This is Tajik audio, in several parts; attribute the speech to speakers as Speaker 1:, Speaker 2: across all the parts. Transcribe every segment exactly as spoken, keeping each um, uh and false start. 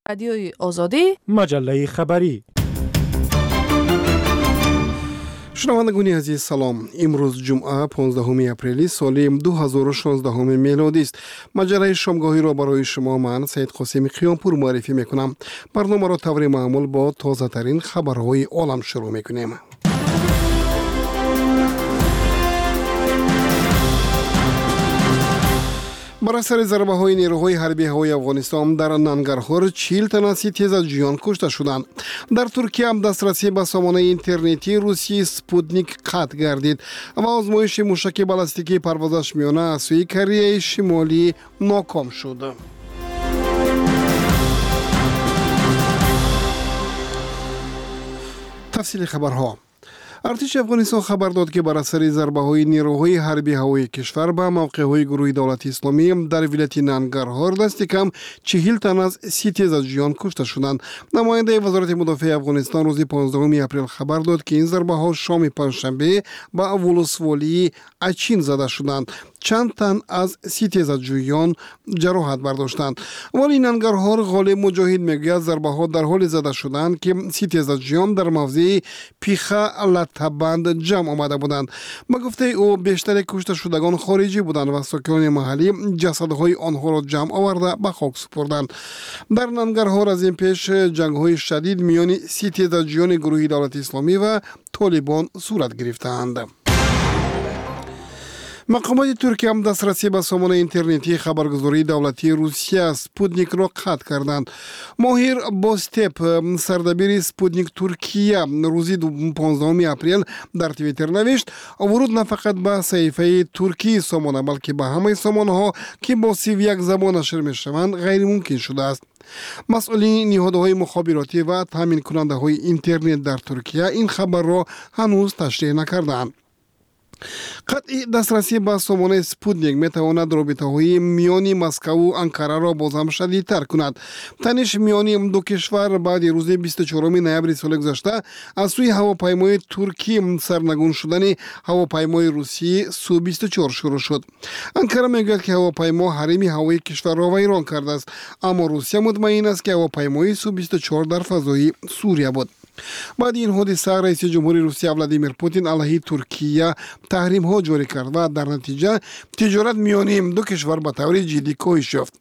Speaker 1: Радиои Озодӣ,
Speaker 2: маҷаллаи хабарӣ.
Speaker 3: Шунавандагони азиз, салом. Имрӯз ҷумъа, понздаҳуми апрели соли дуҳазору шонздаҳуми мелодист. Маҷаллаи шомгоҳиро барои шумо ман, Саид Қосими Қиёмпур, муаррифӣ мекунам. Барномаро таври маъмул бо тозатарин хабарҳои олам шурӯъ мекунем. Бар асари зарбаҳои нерӯҳои ҳарбии ҳавои Афғонистон дар Нангарҳор чил тан аз ситезаҷӯён кушта шуданд. Дар Туркия дастрасӣ ба сомонаи интернетии русии Спутник қатъ гардид ва озмоиши мушаки баллистикии парвозаш миёна аз сӯи Кореяи Шимолӣ ноком шуд. Тафсили хабарҳо. Артиши Афғонистон хабар дод, ки бар асари зарбаҳои нерӯҳои ҳарбии ҳавои кишвар ба мавқеъҳои гурӯҳи давлати исломӣ дар вилояти Нангарҳор дасти кам чиҳил тан аз ситезаҷӯён кушта шуданд. Намояндаи Вазорати мудофиаи Афғонистон рӯзи понздаҳуми апрел хабар дод, ки ин зарбаҳо шоми панҷшанбе ба вулусволии Ачин зада шуданд. Чанд тан аз ситезаҷӯён ҷароҳат бардоштанд. Валии Нангарҳор Ғолиб Муҷоҳид мегӯяд, зарбаҳо дар ҳоле зада шуданд, ки ситезаҷӯён дар мавзеи Пиха Латтабанд ҷамъ омада буданд. Ба гуфтаи ӯ, бештари кушташудагон хориҷӣ буданд ва сокинони маҳаллӣ ҷасадҳои онҳоро ҷамъ оварда ба хок супурданд. Дар Нангарҳор аз ин пеш ҷангҳои шадид миёни ситезаҷӯёни гурӯҳи давлати исломӣ ва толибон сурат гирифтаанд. Мақомоти Туркия дастрасӣ ба сомонаи интернетии хабаргузории давлатии Русия Спутникро қатъ карданд. Моҳир Бостеп, сардабири Спутник Туркия, рӯзи понздаҳуми апрел дар Твиттер навишт: вуруд на фақат ба саҳифаи туркии сомона, балки ба ҳамаи сомонаҳо, ки бо сиву як забон нашр мешаванд, ғайримумкин шудааст. Масъулини ниҳодҳои мухобиротӣ ва таъминкунандаҳои интернет дар Туркия ин хабарро ҳанӯз ташриҳ накардаанд. Қатъи дастрасӣ ба сомонаи Спутник метавонад робитаҳои миёни Москаву Анкараро бозҳам шадидтар кунад. Таниш миёни ду кишвар баъди рӯзи бисту чоруми ноябри соли гузашта аз сӯи ҳавопаймои туркӣ сарнагун шудани ҳавопаймои русии Су бисту чор шурӯъ шуд. Анкара мегӯяд, ки ҳавопаймо ҳарими ҳавоии кишварро вайрон кардааст, аммо Русия мутмаин аст, ки ҳавопаймои Су бисту чор дар фазои Сурия буд. Баъди ин ҳодиса раиси ҷумҳури Русия Владимир Путин алайҳи Туркия таҳримҳо ҷорӣ кард ва дар натиҷа тиҷорат миёни ду кишвар ба таври ҷиддӣ коҳиш ёфт.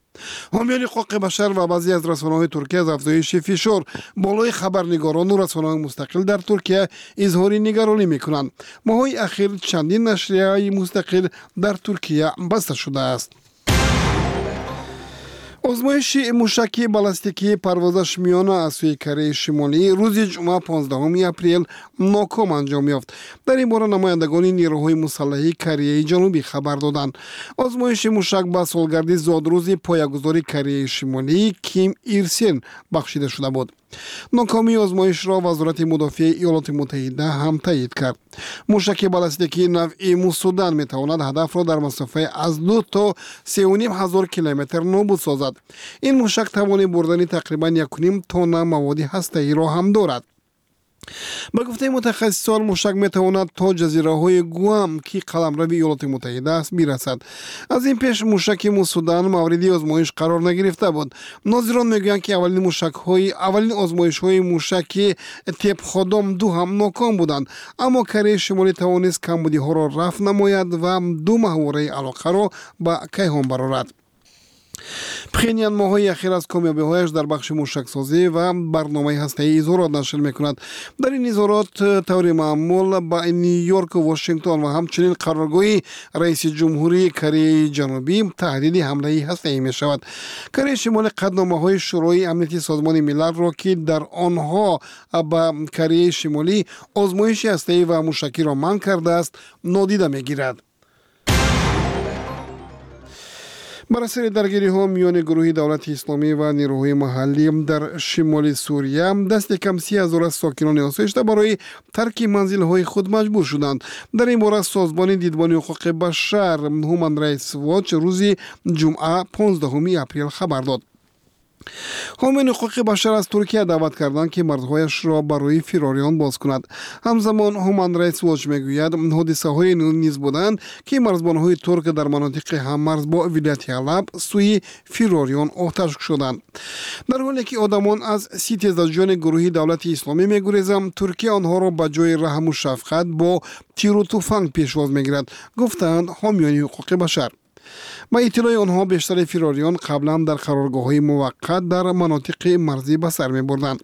Speaker 3: Ҳомиёни ҳуқуқи башар ва баъзе аз расонаҳои Туркия аз афзоиши фишор болои хабарнигорону расонаҳои мустақил дар Туркия изҳори нигаронӣ мекунанд. Моҳҳои ахир чандин нашрияи мустақил дар Туркия баста шудааст. Озмоиши мушаки баллистикии парвозаш миёна аз сӯи Кореяи Шимолӣ рӯзи ҷумъа понздаҳуми апрел ноком анҷом ёфт. Дар ин бора намояндагони нерӯҳои мусаллаҳи Кореяи Ҷанубӣ хабар доданд. Озмоиши мушак ба солгарди зодрӯзи поягузори Кореяи Шимолӣ Ким Ир Сен бахшида шуда буд. Нокомии озмоишро Вазорати мудофиаи Иёлоти Муттаҳида ҳам таъйид кард. Мушаки баллистикии навъи Мусудан метавонад ҳадафро дар масофаи аз ду то сеу ним ҳазор километр нобуд созад. Ин мушак тавони бурдани тақрибан якуним тонна маводи ҳастаиро ҳам дорад. Ба гуфтаи мутахассисон, мушак метавонад то ҷазираҳои Гуам, ки қаламрави Иёлоти Муттаҳида аст, бирасад. Аз ин пеш мушаки Мусудан мавриди озмоиш қарор нагирифта буд. Нозирон мегӯянд, ки аввалин мушакҳои аввалин озмоишҳои мушаки Тепходом ду ҳам ноком буданд, аммо Кореяи Шимолӣ тавонист камбудиҳоро рафъ намояд ва ду маҳвораи алоқаро ба кайҳон барорад. Пхенян моҳҳои ахир аз комёбиҳояш дар бахши мушаксозӣ ва барномаи ҳастаӣ изҳорот нашр мекунад. Дар ин изҳорот таври маъмул ба Ню-Йорку Вашингтон ва ҳамчунин қароргоҳи раиси ҷумҳурии Кореяи Ҷанубӣ таҳдиди ҳамлаи ҳастаӣ мешавад. Кореяи Шимолӣ қатъномаҳои Шӯрои амнияти Созмони Милалро, ки дар онҳо ба Кореяи Шимолӣ озмоиши ҳастаӣ ва мушакиро манъ кардааст, нодида мегирад. Бар асари даргириҳо миёни гурӯҳи давлати исломӣ ва нерӯҳои маҳаллӣ дар шимоли Сурия дасти кам си ҳазор аз сокинони осоишта барои тарки манзилҳои худ маҷбур шуданд. Дар ин бора созмони дидбони ҳуқуқи башар Human Rights Watch рӯзи ҷумъа понздаҳуми апрел хабар дод. Ҳомиёни ҳуқуқи башар аз Туркия даъват карданд, ки марзҳояшро барои фирориён боз кунад. Ҳамзамон Human Rights Watch мегӯяд, ҳодисаҳое низ буданд, ки марзбонҳои турк дар манотиқи ҳаммарз бо вилояти Ҳалаб сӯи фирориён оташ кушоданд. Дар ҳоле ки одамон аз ситезаҷӯёни гурӯҳи Давлати Исломӣ мегурезанд, Туркия онҳоро ба ҷои раҳму шафқат бо тиру туфанг пешвоз мегирад, гуфтаанд ҳомиёни ҳуқуқи башар. Ба иттилои онҳо, бештари фирориён қаблан дар қароргоҳҳои муваққат дар манотиқи марзӣ ба сар мебурданд.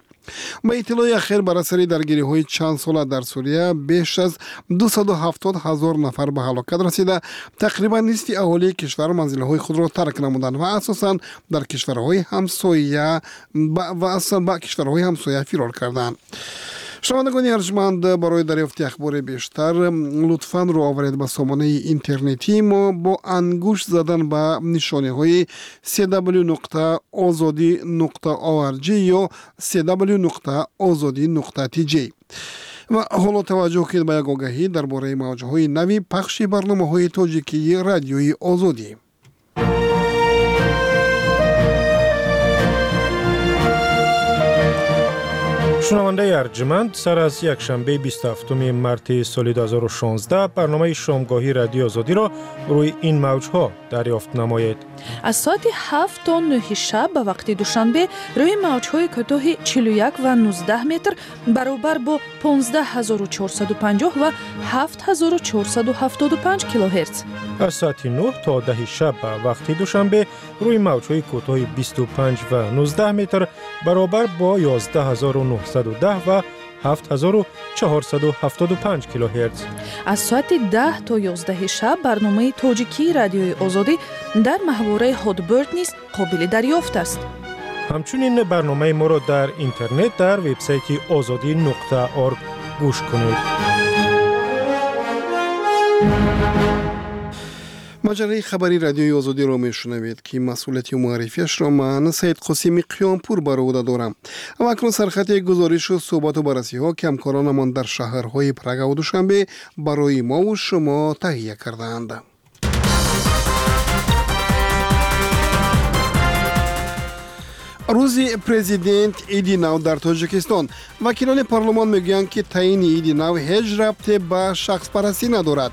Speaker 3: Ба иттилои ахир, бар асари даргириҳои чанд сола дар Сурия беш аз дусаду ҳафтод ҳазор нафар ба ҳалокат расида, тақрибан нисфи аҳолии кишвар манзилҳои худро тарк намуданд ва асосан дар кишварҳои ҳамсоя ва асосан ба кишварҳои ҳамсоя фирор карданд. Шунавандагони арҷманд, барои дарёфти ахбори бештар лутфан рӯ оваред ба сомонаи интернетии мо бо ангушт задан ба нишониҳои cw нуқта озодӣ нуқта org ё cw нуқта озодӣ нуқта tj. Ва ҳоло таваҷҷӯҳ кунед ба як огаҳӣ дар бораи мавҷҳои нави пахши барномаҳои тоҷикии Радиои Озодӣ.
Speaker 1: Шунавандаи арҷманд, сар аз якшанбеи бисту ҳафтуми марти соли ду ҳазору шонздаҳ барномаи шомгоҳии Радиои Озодиро рӯи ин мавҷҳо дарёфт намоед.
Speaker 2: Аз соати ҳафт то нӯҳи шаб ба вақти Душанбе рӯи мавҷҳои кӯтоҳи чилу як ва нуздаҳ метр баробар бо понздаҳ ҳазору чорсаду панҷоҳ ва ҳафт ҳазору чорсаду ҳафтоду панҷ килогерц.
Speaker 1: Аз соати нӯҳ то даҳи шаб ба вақти Душанбе рӯи мавҷҳои кӯтоҳи бисту панҷ ва нуздаҳ метр баробар бо ёздаҳ ҳазору нӯҳсаду даҳ ва ҳафт ҳазору чаҳорсаду ҳафтоду панҷ килогерц.
Speaker 2: Аз соати даҳ то ёздаҳи шаб барномаи тоҷикии Радиои Озодӣ дар маҳвораи Hotbird низ қобили дарёфт аст.
Speaker 1: Ҳамчунин барномаи моро дар интернет дар вебсайти озодӣ нуқта орг гӯш кунед.
Speaker 3: Маҷаллаи хабари Радиои Озодиро мешунавед, ки масъулияти муаррифиашро ман, Саид Қосими Қиёмпур, бар ӯҳда дорам. Ва акнун сархати гузоришу суҳбату баррасиҳо, ки ҳамкоронамон дар шаҳрҳои Прагаву Душанбе барои мову шумо таҳия кардаанд. Рӯзи президент, иди нав дар Тоҷикистон. Вакилони парлумон мегӯянд, ки таъини иди нав ҳеҷ рабте ба шахспарастӣ надорад.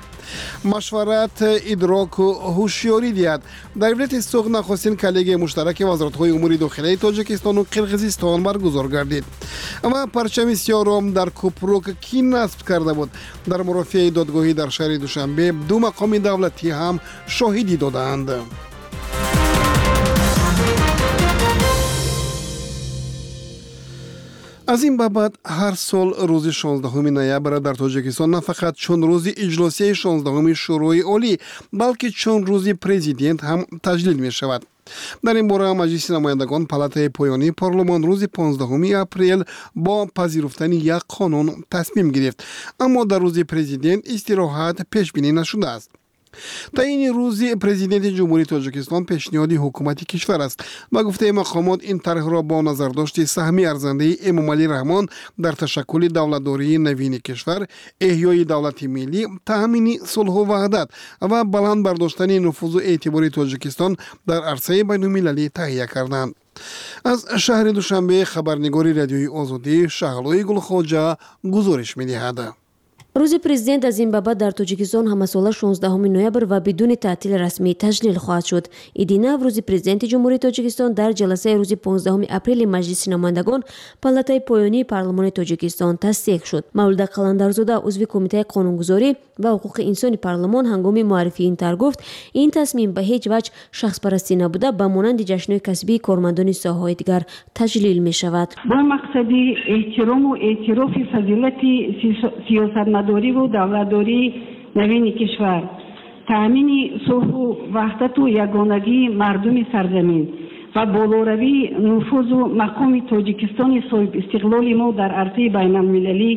Speaker 3: Машварат идроку ҳушёрӣ диҳад. Дар вилояти Суғд нахустин коллегияи муштараки вазоратҳои умури дохилаи Тоҷикистону Қирғизистон баргузор гардид. Ва парчами сиёҳро дар Купрук кӣ насб карда буд? Дар мурофиаи додгоҳӣ дар шаҳри Душанбе ду мақоми давлатӣ ҳам шоҳидӣ додаанд. Аз ин ба баъд ҳар сол рӯзи шонздаҳуми ноябр дар Тоҷикистон на фақат чун рӯзи иҷлосияи шонздаҳуми Шӯрои Олӣ, балки чун рӯзи президент ҳам таҷлил мешавад. Дар ин бора Маҷлиси намояндагон, палатаи поёнии парлумон, рӯзи понздаҳуми апрел бо пазируфтани як қонун тасмим гирифт. Аммо дар рӯзи президент истироҳат пешбинӣ нашудааст. Таъини рӯзи президенти Ҷумҳурии Тоҷикистон пешниҳоди ҳукумати кишвар аст. Ба гуфтаи мақомот, ин тарҳро бо назардошти саҳми арзандаи Эмомалӣ Раҳмон дар ташаккули давлатдории навини кишвар, эҳёи давлати миллӣ, таъмини сулҳу ваҳдат ва баланд бардоштани нуфузу эътибори Тоҷикистон дар арсаи байнулмилалӣ таҳия карданд. Аз шаҳри Душанбе хабарнигори Радиои Озодӣ Шаҳлои Гулхоҷа гузориш медиҳад.
Speaker 4: Рӯзи президент аз ин ба баъд дар Тоҷикистон ҳамасола шонздаҳуми ноябр ва бидуни таътили расмӣ таҷлил хоҳад шуд. Иди нав, рӯзи президенти Ҷумҳурии Тоҷикистон, дар ҷаласаи рӯзи понздаҳуми апрели Маҷлиси намояндагон, палатаи поёнии парлумони Тоҷикистон, тасдиқ шуд. Мавлуда Қаландарзода, узви Кумитаи қонунгузорӣ ва ҳуқуқи инсони парлумон, ҳангоми муаррифии ин тарҳ гуфт, ин тасмим ба ҳеҷ ваҷҳ шахспарастӣ набуда, ба монанди ҷашнҳои касбии кормандони соҳаҳои дигар таҷлил мешавад.
Speaker 5: Бо мақсади эҳтирому эътирофи фазилати сиёсатмадориву давлатдории навини кишвар, таъмини сулҳу ваҳдату ягонагии мардуми сарзамин ва болоравии нуфузу мақоми Тоҷикистони соҳибистиқлоли мо дар арсаи байналмилалӣ,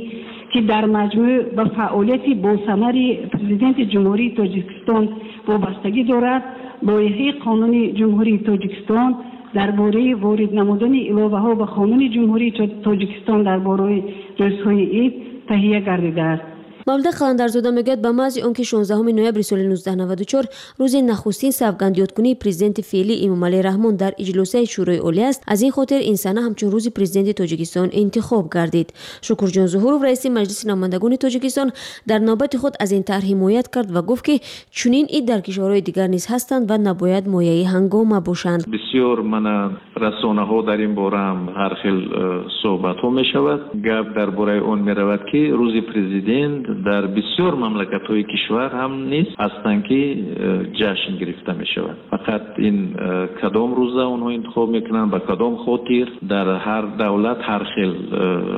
Speaker 5: ки дар маҷмӯъ ба фаъолияти босамари Президенти Ҷумҳурии Тоҷикистон вобастагӣ дорад, лоиҳаи қонуни Ҷумҳурии Тоҷикистон дар бораи ворид намудани иловаҳо ба Қонуни Ҷумҳурии Тоҷикистон дар бораи рӯзҳои ид таҳия гардидааст.
Speaker 4: Мавлуда Қаландарзода мегӯяд, ба маъзи он ки шонздаҳуми ноябри соли нуздаҳ наваду чор рӯзи нахустин савгандёдкунии президенти феълӣ Эмомалӣ Раҳмон дар иҷлосияи Шӯрои Олӣ аст, аз ин хотир ин сана ҳамчун рӯзи президенти Тоҷикистон интихоб гардид. Шукурҷон Зуҳуров, раиси Маҷлиси намояндагони Тоҷикистон, дар навбати худ аз ин тарҳ ҳимоят кард ва гуфт, ки чунин ид дар кишварҳои дигар низ ҳастанд ва набояд мояи ҳангома бошанд.
Speaker 6: Бисёр мана расонаҳо дар ин бора ҳам ҳар хел суҳбатҳо мешавад. Гап дар бораи он меравад, ки рӯзи президент дар бисёр мамлакатҳои кишвар ҳам низ ҳастанд, ки ҷашн гирифта мешавад. Фақат ин кадом рӯза онҳо интихоб мекунанд, ба кадом хотир, дар ҳар давлат ҳар хел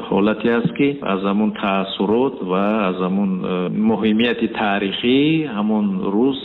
Speaker 6: ҳолате аст, ки аз ҳамон таассурот ва аз ҳамон муҳимияти таърихӣ ҳамон рӯз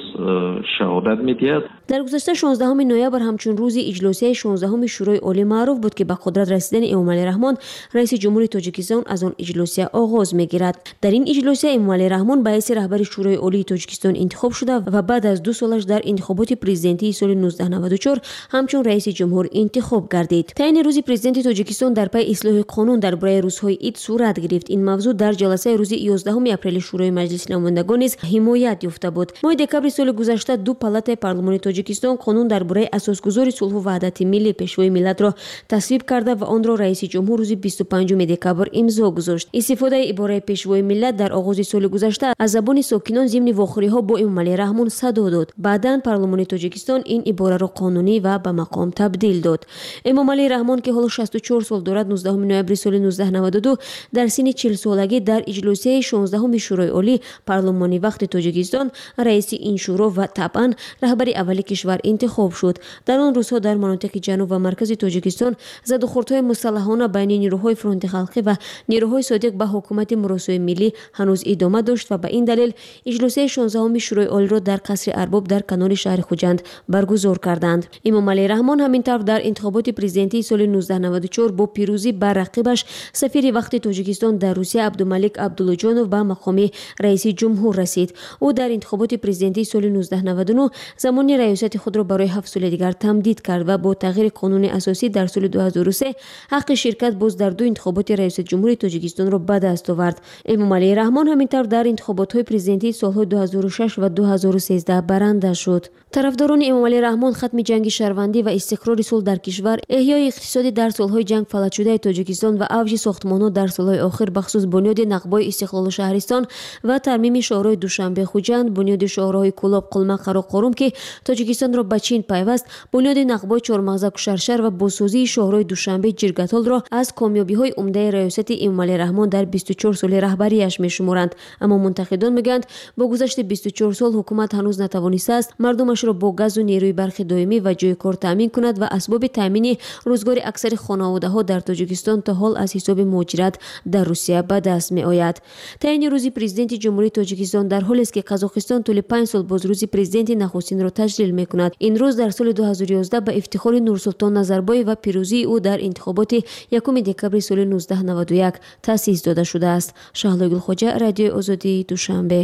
Speaker 6: шаҳодат медиҳад.
Speaker 4: Дар гузашта шонздаҳуми ноябр ҳамчун рӯзи иҷлосияи шонздаҳуми Шӯрои Олӣ маъруф буд, ки ба қудрат расидани Эмомалӣ Раҳмон, раиси ҷумҳури Тоҷикистон, аз он иҷлосия оғоз мегирад. Дар ин иҷлосия Эмомалӣ Раҳмон ба ҳайси раҳбари Шӯрои Олии Тоҷикистон интихоб шуда ва баъд аз ду солаш дар интихоботи президентии соли нуздаҳ наваду чор ҳамчун раиси ҷумҳур интихоб гардид. Таъини рӯзи президенти Тоҷикистон дар пайи ислоҳи қонун дар бораи рӯзҳои ид сурат гирифт. Ин мавзӯъ дар ҷаласаи рӯзи ёздаҳуми апрели Шӯрои Маҷлиси намояндагон низ ҳимоят ёфта буд. Моҳи декабри соли гузашта ду палатаи парлумони Тоҷикистон қонун дар бораи асосгузори сулҳу ваҳдати миллӣ, пешвои миллатро тасвиб карда ва онро раиси ҷумҳур рӯзи бисту панҷуми декабр имзо гузошт. Истифодаи ибораи пешвои миллат дар оғози соли гузашта аз забони сокинон зимни вохӯриҳо бо Эмомалӣ Раҳмон садо дод. Баъдан парлумони Тоҷикистон ин ибораро қонунӣ ва ба мақом табдил дод. Эмомалӣ Раҳмон, ки ҳоло шасту чор сол дорад, нуздаҳуми ноябри соли нуздаҳ наваду ду дар синни чилсолагӣ дар иҷлосияи шонздаҳуми Шӯрои Олӣ парлумони вақти Тоҷикистон раиси ин шӯро ва табъан раҳбари аввали кишвар интихоб шуд. Дар он рӯзҳо дар манотиқи ҷануб ва маркази Тоҷикистон задухӯрдҳои мусаллаҳона байни нирӯҳои фронти халқӣ ва нирӯҳои содиқ ба ҳукумати муросои миллӣ ҳанӯз идома дошт ва ба ин далел иҷлосияи шонздаҳуми Шӯрои Олиро дар қасри Арбоб дар канори шаҳри Хуҷанд баргузор карданд. Эмомалӣ Раҳмон ҳамин тавр дар интихоботи президентии соли нуздаҳ наваду чор бо пирӯзӣ бар рақибаш сафири вақти Тоҷикистон дар Русия Абдумалик Абдуллоҷонов ба мақоми раиси ҷумҳур расид. Ӯ дар интихоботи президентии соли нуздаҳ наваду нӯҳ замони раёсати худро барои ҳафт соли дигар тамдид кард ва бо тағйири қонуни асосӣ дар соли ду ҳазору се ҳаққи ширкат боз дар ду интихоботи раёсати ҷумҳурии Тоҷикистонро ба даст овард. Эмомалӣ Раҳмон ҳамин тавр дар интихоботҳои президентии солҳои ду ҳазору шаш ва ду ҳазору сездаҳ баранда шуд. Тарафдорони Эмомалӣ Раҳмон хатми ҷанги шаҳрвандӣ ва истиқрори сулҳ дар кишвар, эҳёи иқтисодӣ дар солҳои ҷанг фалаҷшудаи Тоҷикистон ва авҷи сохтмонҳо дар солҳои охир, бахусус бунёди нақбои истиқлолу шаҳристон ва тармими шоҳроҳи Душанбе Хуҷанд, бунёди шоҳроҳи Кӯлоб Қулма Қароқорум, ки Тоҷикистонро ба Чин пайваст, бунёди нақбои Чормағза Кушаршар ва бозсозии шоҳроҳи Душанбе Ҷиргатолро аз комёбиҳои умдаи раёсати Эмомалӣ Раҳмон дар бисту чор соли раҳбарияш мешуморанд. Аммо мунтақидон мегӯянд, бо гузашти бисту чор сол ҳукумат ҳанӯз натавонистааст мардумашро бо газу нерӯи барқи доимӣ ва ҷойи кор таъмин кунад ва асбоби таъмини рӯзгори аксари хонаводаҳо дар Тоҷикистон то ҳол аз ҳисоби муҳоҷират дар Русия ба даст меояд. Таъини рӯзи президенти Ҷумҳурии Тоҷикистон дар ҳолест, ки Қазоқистон тӯли панҷ сол боз рӯзи президенти нахустинро таҷлил мекунад. Ин рӯз дар соли ду ҳазору ёздаҳ ба ифтихори Нурсултон Назарбоев ва пирӯзии ӯ дар интихоботи якуми декабри соли нуздаҳ наваду як таъсис дода шудааст. Шаҳлои Гулхоҷа, Радиои Озодии Душанбе.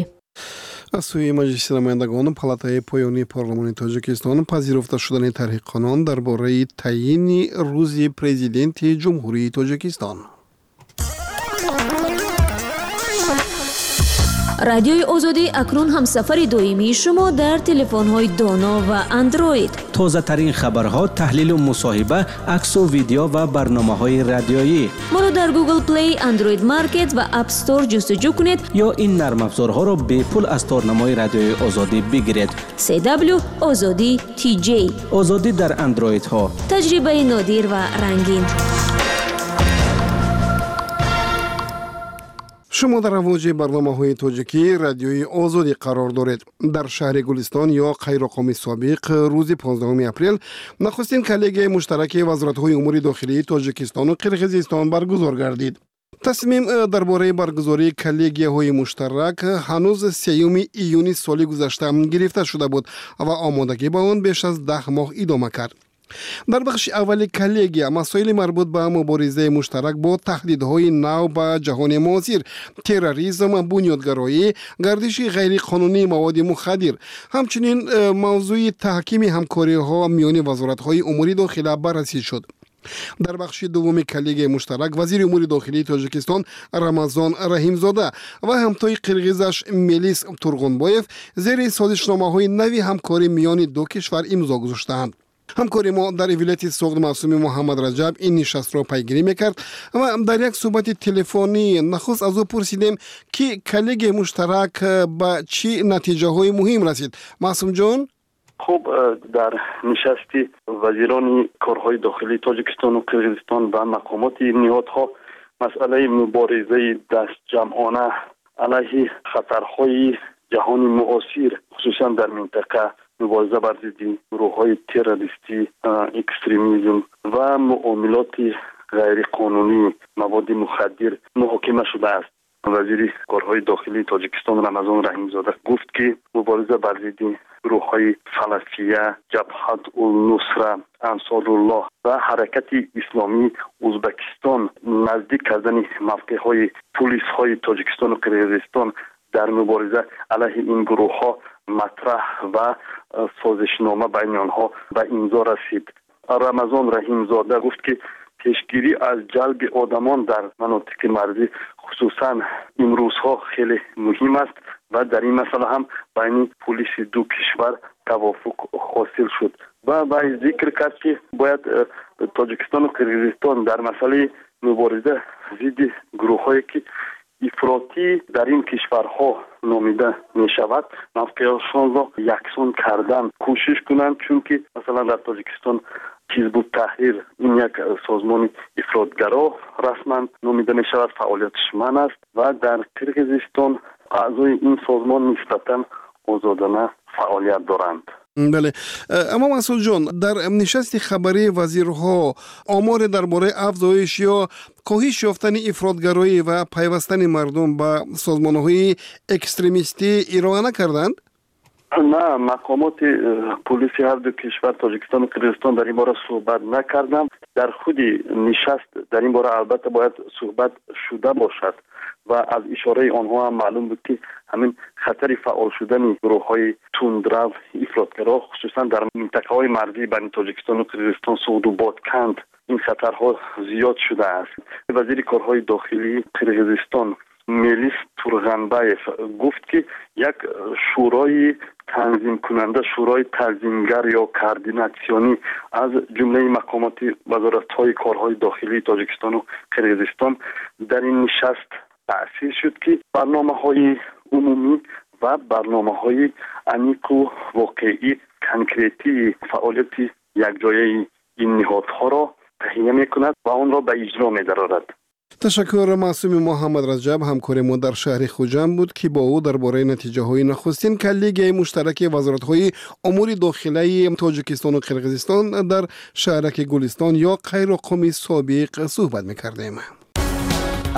Speaker 3: Аз сӯи Маҷлиси намояндагон палатаи поёнии парлумони Тоҷикистон пазируфта шудани тарҳи қонун дар бораи таъйини рӯзи президенти Ҷумҳурии Тоҷикистон.
Speaker 4: Радиои Озодӣ акнун ҳамсафари доимии шумо дар телефонҳои доно ва Андроид.
Speaker 7: Тозатарин хабарҳо, таҳлилу мусоҳиба, аксу видео ва барномаҳои радиоӣ.
Speaker 4: Моро дар Google Play, Android Market ва App Store ҷустуҷӯ кунед
Speaker 7: ё ин нармафзорҳоро бепул аз торнамои Радиои Озодӣ бигиред.
Speaker 4: си дабл ю Озодӣ ти ҷей.
Speaker 7: Озодӣ дар Андроидҳо.
Speaker 4: Таҷрибаи нодир ва рангин.
Speaker 3: Шумо дар авоҷи барномаҳои тоҷикӣ Радиои Озодӣ қарор доред. Дар шаҳри Гулистон ё Қайроққуми собиқ рӯзи понздаҳуми апрел нахустин коллегияи муштараки вазоратҳои умури дохилии Тоҷикистону Қирғизистон баргузор гардид. Тасмим дар бораи баргузории коллегияҳои муштарак ҳанӯз сеюми июни соли гузашта гирифта шуда буд ва омодагӣ ба он беш аз даҳ моҳ идома кард. Дар бахши аввали коллегия масоили марбут ба муборизаи муштарак бо таҳдидҳои нав ба ҷаҳони муосир, терроризм, бунёдгароӣ, гардиши ғайриқонунии маводи мухаддир, ҳамчунин мавзӯи таҳкими ҳамкориҳо миёни вазоратҳои умури дохила баррасӣ шуд. Дар бахши дуввуми коллегияи муштарак вазири умури дохилии Тоҷикистон Рамазон Раҳимзода ва ҳамтои қирғизаш Мелис Турғунбоев зери созишномаҳои нави ҳамкорӣ миёни ду кишвар имзо гузоштаанд. Ҳамкори мо дар вилояти Суғд Маъсуми Муҳаммадраҷаб ин нишастро пайгирӣ мекард ва дар як суҳбати телефонӣ нахуст аз ӯ пурсидем, ки коллегияи муштарак ба чӣ натиҷаҳои муҳим расид. Маъсумҷон?
Speaker 8: Хуб, дар нишасти вазирони корҳои дохилии Тоҷикистону Қирғизистон ва мақомоти ниҳодҳо масъалаи муборизаи дастҷамъона алайҳи хатарҳои ҷаҳони муосир, хусусан дар минтақа, мубориза бар зидди гурӯҳҳои террористӣ, экстремизм ва муомилоти ғайриқонунии маводи мухаддир муҳокима шудааст. Вазири корҳои дохилии Тоҷикистон Рамазон Раҳимзода гуфт, ки мубориза бар зидди гурӯҳҳои Салафия, Ҷабҳат ул-Нусра, Ансоруллоҳ ва Ҳаракати Исломии Ӯзбекистон, наздик кардани мавқеъҳои пулисҳои Тоҷикистону Қирғизистон дар мубориза алайҳи ин гурӯҳҳо матраҳ ва созишнома байни онҳо ба имзо расид. Рамазон Раҳимзода гуфт, ки пешгирӣ аз ҷалби одамон дар манотиқи марзӣ хусусан имрӯзҳо хеле муҳим аст ва дар ин масъала ҳам байни пулиси ду кишвар тавофуқ ҳосил шуд. Ва вай зикр кард, ки бояд Тоҷикистону Қирғизистон дар масъалаи мубориза зидди гурӯҳҳое, ки ифротӣ дар ин кишварҳо номида мешавад, мавқеашонро яксон кардан кӯшиш кунанд, чунки масалан дар Тоҷикистон Ҳизбут Таҳрир ин як созмони ифротгаро расман номида мешавад, фаъолияташ манъ аст ва дар Қирғизистон аъзои ин созмон нисбатан озодона фаъолият доранд.
Speaker 3: Бале, аммо Масъудҷон, дар нишасти хабарии вазирҳо оморе дар бораи афзоиш ё коҳиш ёфтани ифротгароӣ ва пайвастани мардум ба созмонҳои экстремистӣ ироа накарданд?
Speaker 8: На, мақомоти пулиси ҳар ду кишвар, Тоҷикистону Қирғизистон, дар ин бора суҳбат накарданд. Дар худи нишаст дар ин бора албатта бояд суҳбат шуда бошад ва аз ишораи онҳо ҳам маълум буд, ки ҳамин хатари фаъол шудани гурӯҳҳои тундрав, ифротгаро, хусусан дар минтақаҳои марзии байни Тоҷикистону Қирғизистон, Суғду Бодканд, ин хатарҳо зиёд шудааст. Вазири корҳои дохилии Қирғизистон Мелис Турғанбаев гуфт, ки як шӯрои танзимкунанда, шӯрои танзимгар ё координатсионӣ аз ҷумлаи мақомоти вазоратҳои корҳои дохилии Тоҷикистону Қирғизистон дар ин нишаст таъсис шуд, ки барномаҳои умумӣ ва барномаҳои аниқу воқеӣ, конкретии фаъолияти якҷояи ин ниҳодҳоро таҳия мекунад ва онро ба иҷро медарорад.
Speaker 3: Ташаккур. Маъсуми Муҳаммадраҷаб ҳамкори мо дар шаҳри Хуҷанд буд, ки бо ӯ дар бораи натиҷаҳои нахустин коллегияи муштараки вазоратҳои умури дохилаи Тоҷикистону Қирғизистон дар шаҳраки Гулистон ё Қайроқуми собиқ суҳбат мекардем.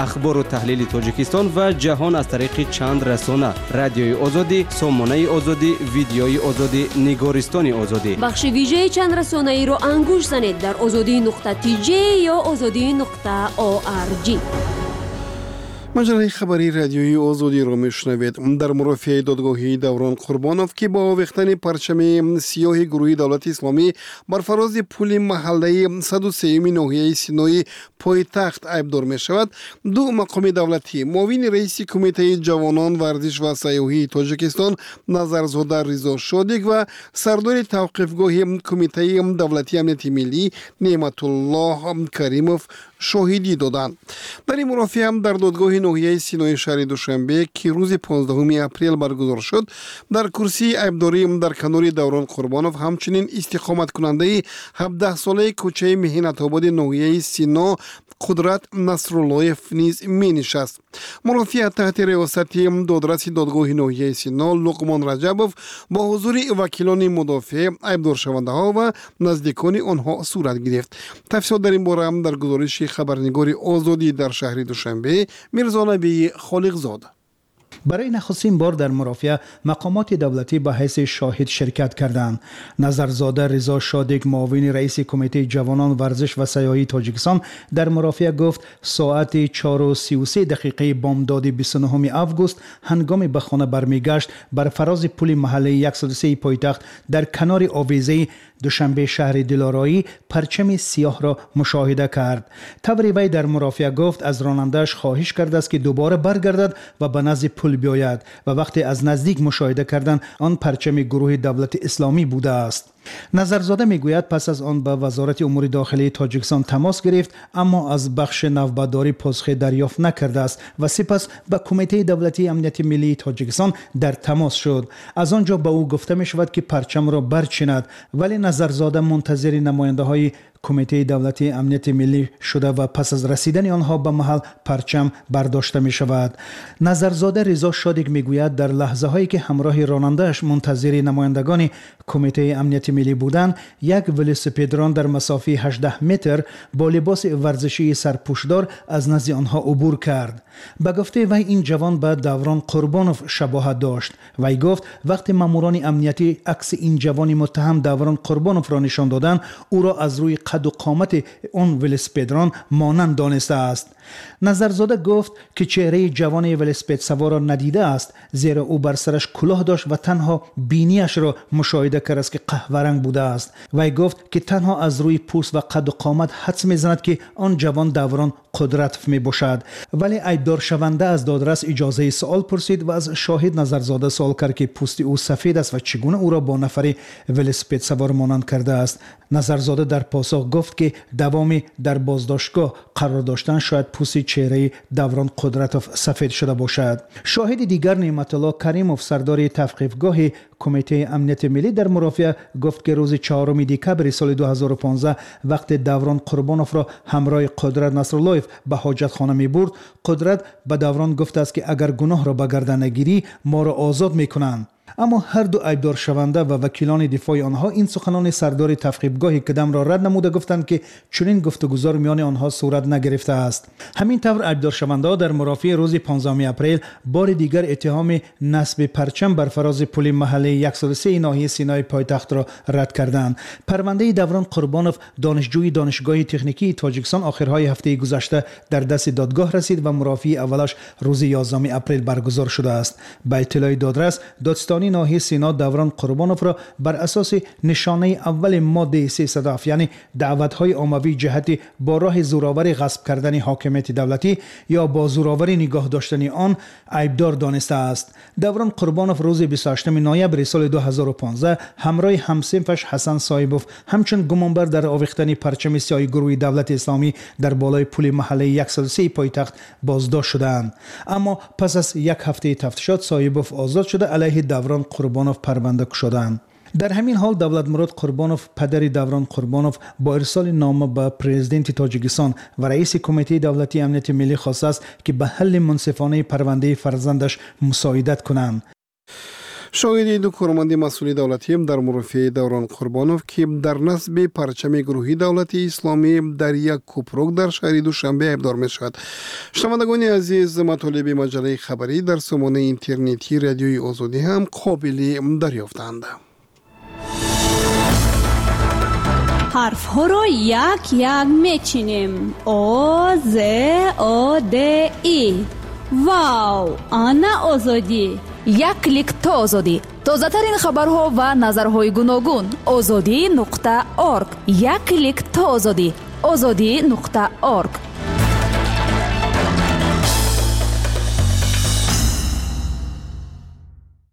Speaker 7: Ахбору таҳлили Тоҷикистон ва ҷаҳон аз тариқи чанд расона: Радиои Озодӣ, Сомонаи Озодӣ, Видеои Озодӣ, Нигористони Озодӣ.
Speaker 4: Бахши вижаи чанд расонаиро ангушт занед дар озодӣ нуқта тж ё озодӣ нуқта орг.
Speaker 3: Маҷаллаи хабарии Радиои Озодиро мешунавед. Дар мурофиаи додгоҳии Даврон Қурбонов, ки бо овехтани парчами сиёҳи гурӯҳи Давлати Исломӣ бар фарози пули маҳаллаи саду сеюми ноҳияи Синои пойтахт айбдор мешавад, ду мақоми давлатӣ, муовини раиси Кумитаи ҷавонон, варзиш ва сайёҳии Тоҷикистон Назарзода Ризо Шодик ва сардори тавқифгоҳи Кумитаи давлатии амнияти миллӣ Неъматуллоҳ Каримов шоҳидӣ доданд. Дар ин мурофиа дар додгоҳи ноҳияи Синои шаҳри Душанбе, ки рӯзи понздаҳуми апрел баргузор шуд, дар курсии айбдорӣ дар канори Даврон Қурбонов ҳамчунин истиқоматкунандаи ҳабдаҳсолаи кӯчаи Меҳнатободи ноҳияи Сино Қудрат Насруллоев низ менишаст. Мурофиа таҳти риёсати додраси додгоҳи ноҳияи Сино Луқмон Раҷабов бо ҳузури вакилони мудофеъ, айбдоршавандаҳо ва наздикони онҳо сурат гирифт. Тафсилот дар ин бора дар гузориши хабарнигори Озодӣ дар шаҳри Душанбе Мирзонабии Холиқзод.
Speaker 9: Барои нахустин бор дар мурофиа мақомоти давлатӣ ба ҳайси шоҳид ширкат карданд. Назарзода Ризо Шодик, муовини раиси Кумитаи ҷавонон, варзиш ва сайёҳии Тоҷикистон, дар мурофиа гуфт соати чору сию се дақиқаи бомдоди бисту нуҳуми август ҳангоми ба хона бармегашт бар фарози пули маҳаллаи яксаду се пойтахт дар канори овезаи Душанбе шаҳри Дилороӣ парчами сиёҳро мушоҳида кард. Таври вай дар мурофиа гуфт аз ронандааш хоҳиш кардааст ки дубора баргардад ва ба назди пул биёяд ва вақте аз наздик мушоҳида карданд он парчами гурӯҳи давлати исломӣ будааст. Назарзода мегӯяд пас аз он ба Вазорати умури дохилии Тоҷикистон тамос гирифт, аммо аз бахши навбатдорӣ посухе дарёфт накардааст ва сипас ба Кумитаи давлатии амнияти миллии Тоҷикистон дар тамос шуд. Аз он ҷо ба ӯ гуфта мешавад ки парчамро барчинад, вале Назарзода мунтазири намояндаҳои Кумитаи давлатии амнияти миллӣ шуда ва пас аз расидани онҳо ба маҳал парчам бардошта мешавад. Назарзода Ризо Шодик мегӯяд дар лаҳзаҳое ки ҳамроҳи ронандааш мунтазири намояндагони Кумитаи амнияти миллӣ буданд, як велосипедрон дар масофаи ҳаждаҳ метр бо либоси варзишии сарпӯшдор аз назди онҳо убур кард. Ба гуфтаи вай ин ҷавон ба Даврон Қурбонов шабоҳат дошт. Вай гуфт вақте маъмурони амниятӣ акси ин ҷавони муттаҳам Даврон Қурбоновро нишон доданд, ӯро аз рӯи қаду қомати он велосипедрон монанд донистааст. Назарзода гуфт ки чеҳраи ҷавони велосипедсаворро надидааст, зеро ӯ бар сараш кулоҳ дошт ва танҳо биниашро мушоҳида кардааст ки қаҳваранг будааст. Вай гуфт ки танҳо аз рӯи пӯст ва қаду қомат ҳадс мезанад ки он ҷавон Даврон Қудратов мебошад. Вале айбдоршаванда аз додрас иҷозаи суол пурсид ва аз шоҳид Назарзода суол кард ки пӯсти ӯ сафед аст ва чӣ гуна ӯро бо нафари велосипедсавор монанд кардааст. Назарзода дар посух гуфт ки давоми дар боздоштгоҳ қарор доштан шояд пӯсти чеҳраи Даврон Қудратов сафед шуда бошад. Шоҳиди дигар Неъматулло Каримов, сардори тавқифгоҳи Кумитаи амнияти миллӣ, дар мурофиа гуфт ки рӯзи чаҳоруми декабри соли ду ҳазору понздаҳ вақте Даврон Қурбоновро ҳамроҳи Қудрат Насруллоев ба ҳоҷатхона мебурд, Қудрат ба Даврон гуфтааст ки агар гуноҳро ба гардан нагирӣ, моро озод мекунанд. Аммо ҳар ду айбдоршаванда ва вакилони дифои онҳо ин суханони сардори тавқифгоҳи кадамро рад намуда гуфтанд ки чунин гуфтугузор миёни онҳо сурат нагирифтааст. Ҳамин тавр айбдоршавандаҳо дар мурофиаи рӯзи понздаҳуми апрел бори дигар иттиҳоми насби парчам бар фарози пули маҳаллаи яксаду се ноҳияи Синои пойтахтро рад карданд. Парвандаи Даврон Қурбонов, донишҷӯи Донишгоҳи техникии Тоҷикистон, охирҳои ҳафтаи гузашта дар дасти додгоҳ расид ва мурофиаи аввалаш рӯзи ёздаҳуми апрел баргузор шудааст. Ба иттилои додрас, додситонии ноҳияи Сино Даврон Қурбоновро бар асоси нишонаи аввали моддаи сесаду ҳафт, яъне даъватҳои оммавӣ ҷиҳати бо роҳи зӯроварӣ ғасб кардани ҳокимияти давлатӣ ё бо зӯроварӣ нигоҳ доштани он айбдор донистааст. Даврон Қурбонов рӯзи бисту ҳаштуми ноябри соли ду ҳазору понздаҳ ҳамроҳи ҳамсинфаш Ҳасан Соҳибов ҳамчун гумонбар дар овехтани парчами сиёҳи гурӯҳи давлати исломӣ дар болои пули маҳаллаи яксаду се пойтахт боздошт шудаанд. Аммо пас аз як ҳафтаи тафтишот Соҳибов озод шуда алайҳи Даврон Қурбонов парванда кушоданд. Дар ҳамин ҳол Давлатмурод Қурбонов, падари Даврон Қурбонов, бо ирсоли нома ба президенти Тоҷикистон ва раиси Кумитаи давлатии амнияти миллӣ хостааст ки ба ҳалли мунсифонаи парвандаи фарзандаш мусоидат кунанд.
Speaker 3: Шоҳиди ду корманди масъули давлатӣ дар мурофиаи Даврон Қурбонов, ки дар насби парчами гурӯҳи давлати исломӣ дар як кӯпрук дар шаҳри Душанбе айбдор мешавад. Шунавандагони азиз, матолиби маҷаллаи хабарӣ дар сомонаи интернетии Радиои Озодӣ ҳам қобили дарёфтанд.
Speaker 10: Ҳарфҳоро як-як мечинем. О, З, О, Д, И. Вау! Ана Озодӣ!
Speaker 11: Як клик то Озодӣ. Тозатарин хабарҳо ва назарҳои гуногун. Озодӣ нуқта орг. Як клик то Озодӣ. Озодӣ нуқта орг.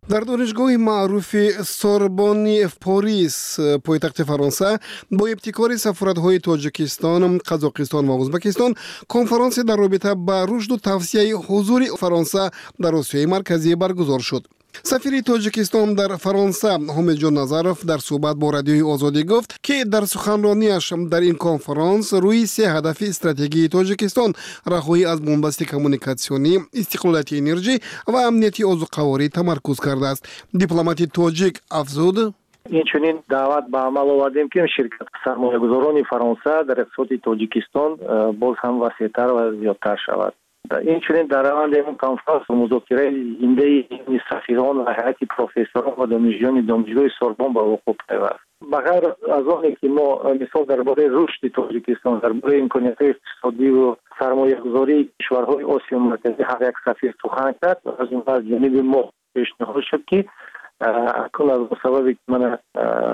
Speaker 3: Дар донишгоҳи маъруфи Сорбонни Порис, пойтахти Фаронса, бо ибтикори сафоратҳои Тоҷикистон, Қазоқистон ва Ӯзбекистон конференсия дар робита ба рушду тавсияи ҳузури Фаронса дар Осиёи Марказӣ баргузор шуд. Сафири Тоҷикистон дар Фаронса Ҳомидҷон Назаров дар суҳбат бо Радиои Озодӣ гуфт, ки дар суханронияш дар ин конференс рӯи се ҳадафи стратегии Тоҷикистон раҳоӣ аз бунбасти коммуникатсионӣ, истиқлолияти энерҷӣ ва амнияти озуқаворӣ тамаркуз кардааст. Дипломати тоҷик афзуд:
Speaker 12: инчунин даъват ба амал овардем, ки ширкат сармоягузорони Фаронса дар иқтисоди Тоҷикистон боз ҳам васеътар ва зиёдтар шавад. Инчунин дар раванди ин конфронс музокираи зиндаи сафирон ва ҳайати профессорон ва донишҷӯёни донишгоҳи Сорбон ба вуқӯъ пайваст. Ба ғайр аз оне ки мо мисол дар бораи рушди Тоҷикистон, дар бораи имкониятҳои иқтисодӣ ва сармоягузории кишварҳои Осиёи Марказӣ ҳар як сафир сухан кард, аз ҷумла аз ҷониби мо пешниҳод шуд, ки акнун аз сабаби ки мана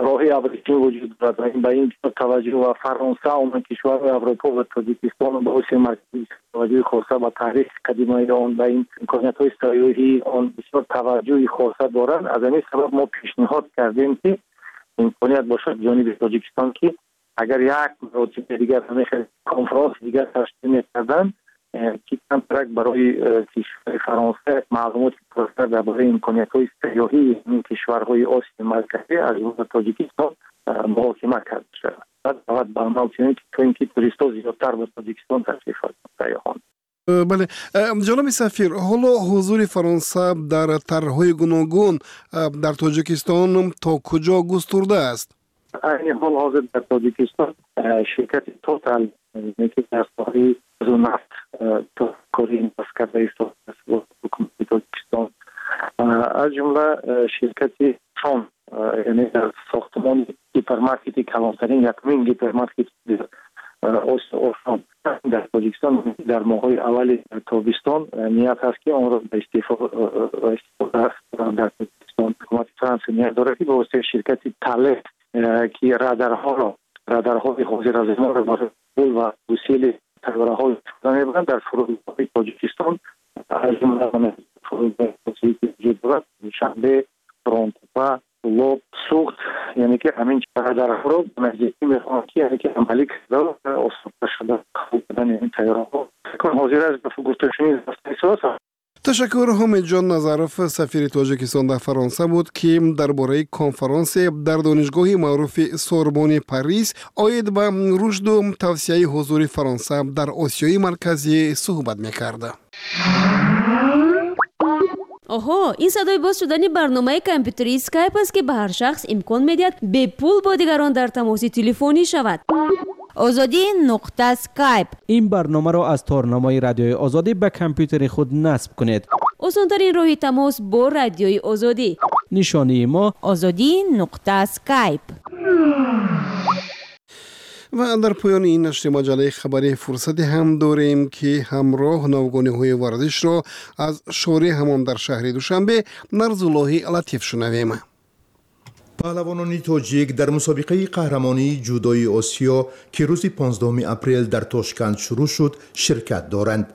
Speaker 12: роҳи абрешим вуҷуд дорад ва ба ин таваҷҷӯҳ ва Фаронса, он кишварҳои Аврупо ва Тоҷикистон ба Осиёи Марказӣ таваҷҷӯҳи хоса ба таърихи қадимаи он, ба ин имкониятҳои сайёҳии он бисёр таваҷҷӯҳи хоса доранд. Аз ҳамин сабаб мо пешниҳод кардем, ки имконият бошад ҷониби Тоҷикистон, ки агар як маротиба дигар ҳамин хел конфронс дигар ташкил мекарданд, ки камтарак барои кишвари Фаронса як маълумоти пурратар дар бораи имкониятҳои сайёҳии ин кишварҳои Осиёи Марказӣ аз ҷумла Тоҷикистон муҳокима карда шавад. Баъд даъват ба амал чунин, то ин ки туристҳо зиёдтар ба Тоҷикистон ташриф оранд, сайёҳон.
Speaker 3: Бале, ҷаноби сафир, ҳоло ҳузури Фаронса дар тарҳҳои гуногун дар Тоҷикистон то куҷо густурда аст?
Speaker 12: Айни ҳол ҳозир дар Тоҷикистон ширкати Тотал, ки дар соҳаи газу нафт кори инвест карда истодааст бо ҳукумати Тоҷикистон, аз ҷумла ширкати Шон, яъне дар сохтмони гипермаркети калонтарин, якумин гипермаркет Ошон дар Тоҷикистон дар моҳҳои аввали тобистон ният ҳаст, ки онро ба истифода дар Тоҷикистон. Ҳукумати Фаронса ният дорад, ки ба воситаи ширкати Талес, ки радарҳоро, радарҳои ҳозиразамонро барои қабул ва гусели тайёраҳо истифода мебаранд, дар фурудгоҳҳои Тоҷикистон, аз ҷумла фурудгоҳи ки вуҷуд дорад, Душанбе, Қӯрғонтеппа, Кӯлоб, Суғд, яъне ки ҳамин радарҳоро ба наздикӣ мехоҳанд, ки яъне ки амалӣ карда осонтар шуда қабул кардани ин тайёраҳо. Ҳозир аст ба гуфтушунид рафта истодааст.
Speaker 3: Ташаккур. Ҳомидҷон Назаров, сафири Тоҷикистон дар Фаронса буд, ки дар бораи конфронсе дар донишгоҳи маъруфи Сорбони Парис оид ба рушду тавсияи ҳузури Фаронса дар Осиёи Марказӣ суҳбат мекард.
Speaker 4: Оҳо, ин садои боз шудани барномаи компютерии Скайп аст, ки ба ҳар шахс имкон медиҳад бепул бо дигарон дар тамоси телефонӣ шавад.
Speaker 13: Озодӣ нуқта скайп.
Speaker 7: Ин барномаро аз торнамои Радиои Озодӣ ба компютери худ насб кунед.
Speaker 4: Осонтарин роҳи тамос бо Радиои Озодӣ.
Speaker 7: Нишонии мо
Speaker 13: Озодӣ нуқта скайп.
Speaker 3: Ва дар поёни ин нашри маҷаллаи хабарӣ фурсате ҳам дорем, ки ҳамроҳ навгониҳои варзишро аз шореҳ ҳамон дар шаҳри Душанбе Нарзуллоҳи Латиф шунавем.
Speaker 14: Паҳлавонони тоҷик дар мусобиқаи қаҳрамонии ҷудои Осиё, ки рӯзи понздаҳуми апрел дар Тошканд шурӯъ шуд, ширкат доранд.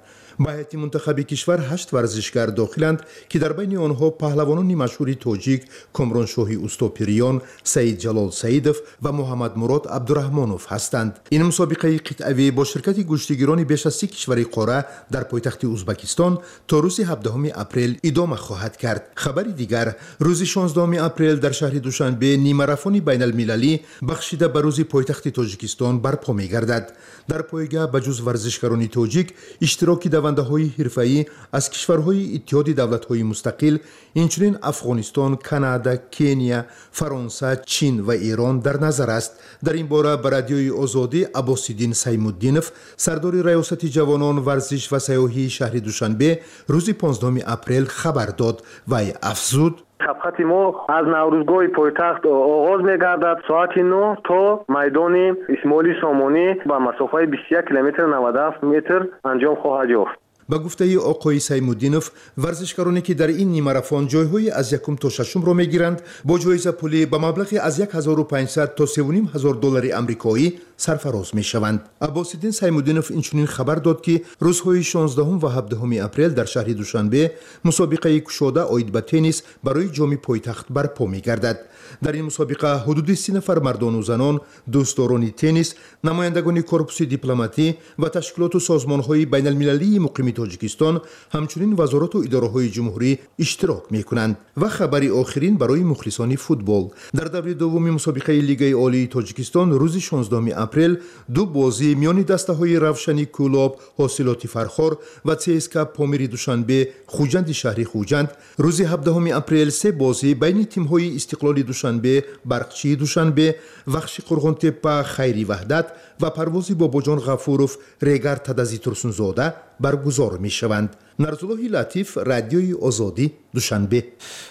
Speaker 14: Ба ҳайати мунтахаби кишвар ҳашт варзишгар дохиланд, ки дар байни онҳо паҳлавонони машҳури тоҷик Комроншоҳи Устопириён, Саидҷалол Саидов ва Муҳаммадмурод Абдураҳмонов ҳастанд. Ин мусобиқаи қитъавӣ бо ширкати гӯштигирони беш аз си кишвари қора дар пойтахти Узбакистон то рӯзи ҳабдаҳуми апрел идома хоҳад кард. Хабари дигар: рӯзи шонздаҳуми апрел дар шаҳри Душанбе нимарафони байналмилалӣ бахшида ба рӯзи пойтахти Тоҷикистон барпо мегардад. Дар пойга ба ҷуз варзишгарони тоҷик иштироки давандаҳои ҳирфаӣ аз кишварҳои Иттиҳоди давлатҳои мустақил, инчунин Афғонистон, Канада, Кения, Фаронса, Чин ва Эрон дар назар аст. Дар ин бора ба Радиои Озодӣ Аббосиддин Саймуддинов, сардори раёсати ҷавонон, варзиш ва сайёҳии шаҳри Душанбе, рӯзи понздаҳуми апрел хабар дод. Вай афзуд:
Speaker 15: Сабқати мо аз Наврӯзгоҳи пойтахт оғоз мегардад соати нӯҳ то майдони Исмоили Сомонӣ ба масофаи бисту як километр наваду ҳафт метр анҷом хоҳад ёфт.
Speaker 14: Ба гуфтаи оқои Саймуддинов, варзишгароне ки дар ин нимарафон ҷойҳои аз якум то шашумро мегиранд, бо ҷоизапулӣ ба маблағи аз як ҳазору панҷсад то севу ним ҳазор доллари амрикоӣ сарфароз мешаванд. Аббосиддин Саймуддинов инчунин хабар дод, ки рӯзҳои шонздаҳум ва ҳабдаҳуми апрел дар шаҳри Душанбе мусобиқаи кушода оид ба теннис барои ҷоми пойтахт барпо мегардад. Дар ин мусобиқа ҳудуди си нафар мардону занон, дӯстдорони теннис, намояндагони корпуси дипломатӣ ва ташкилоту созмонҳои байналмилалии муқими Тоҷикистон, ҳамчунин вазорату идораҳои ҷумҳурӣ иштирок мекунанд. Ва хабари охирин барои мухлисони футбол. Дар даври дуввуми мусобиқаи Лигаи Олии Тоҷикистон рӯзи шонздаҳуми апрел ду бозӣ миёни дастаҳои Равшани Кӯлоб, Ҳосилоти Фархор ва ЦСК Помири Душанбе, Хуҷанди шаҳри Хуҷанд, рӯзи ҳабдаҳуми апрел се бозӣ байни тимҳои Истиқлоли Душанбе, Барқчии Душанбе, Вахши Қурғонтеппа, Хайри Ваҳдат ва Парвози Бобоҷон Ғафуров, Регар Тадази Турсунзода баргузор мешаванд. Нарзуллоҳи Латиф, Радиои Озодӣ, Душанбе.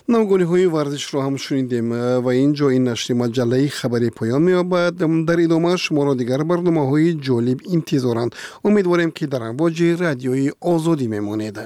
Speaker 3: Навгониҳои варзишро ҳам шунидем ва ин ҷо ин нашри маҷаллаи хабарӣ поён меёбад. Дар идома шуморо дигар барномаҳои ҷолиб интизоранд. Умедворем, ки дар амвоҷи Радиои Озодӣ мемонед.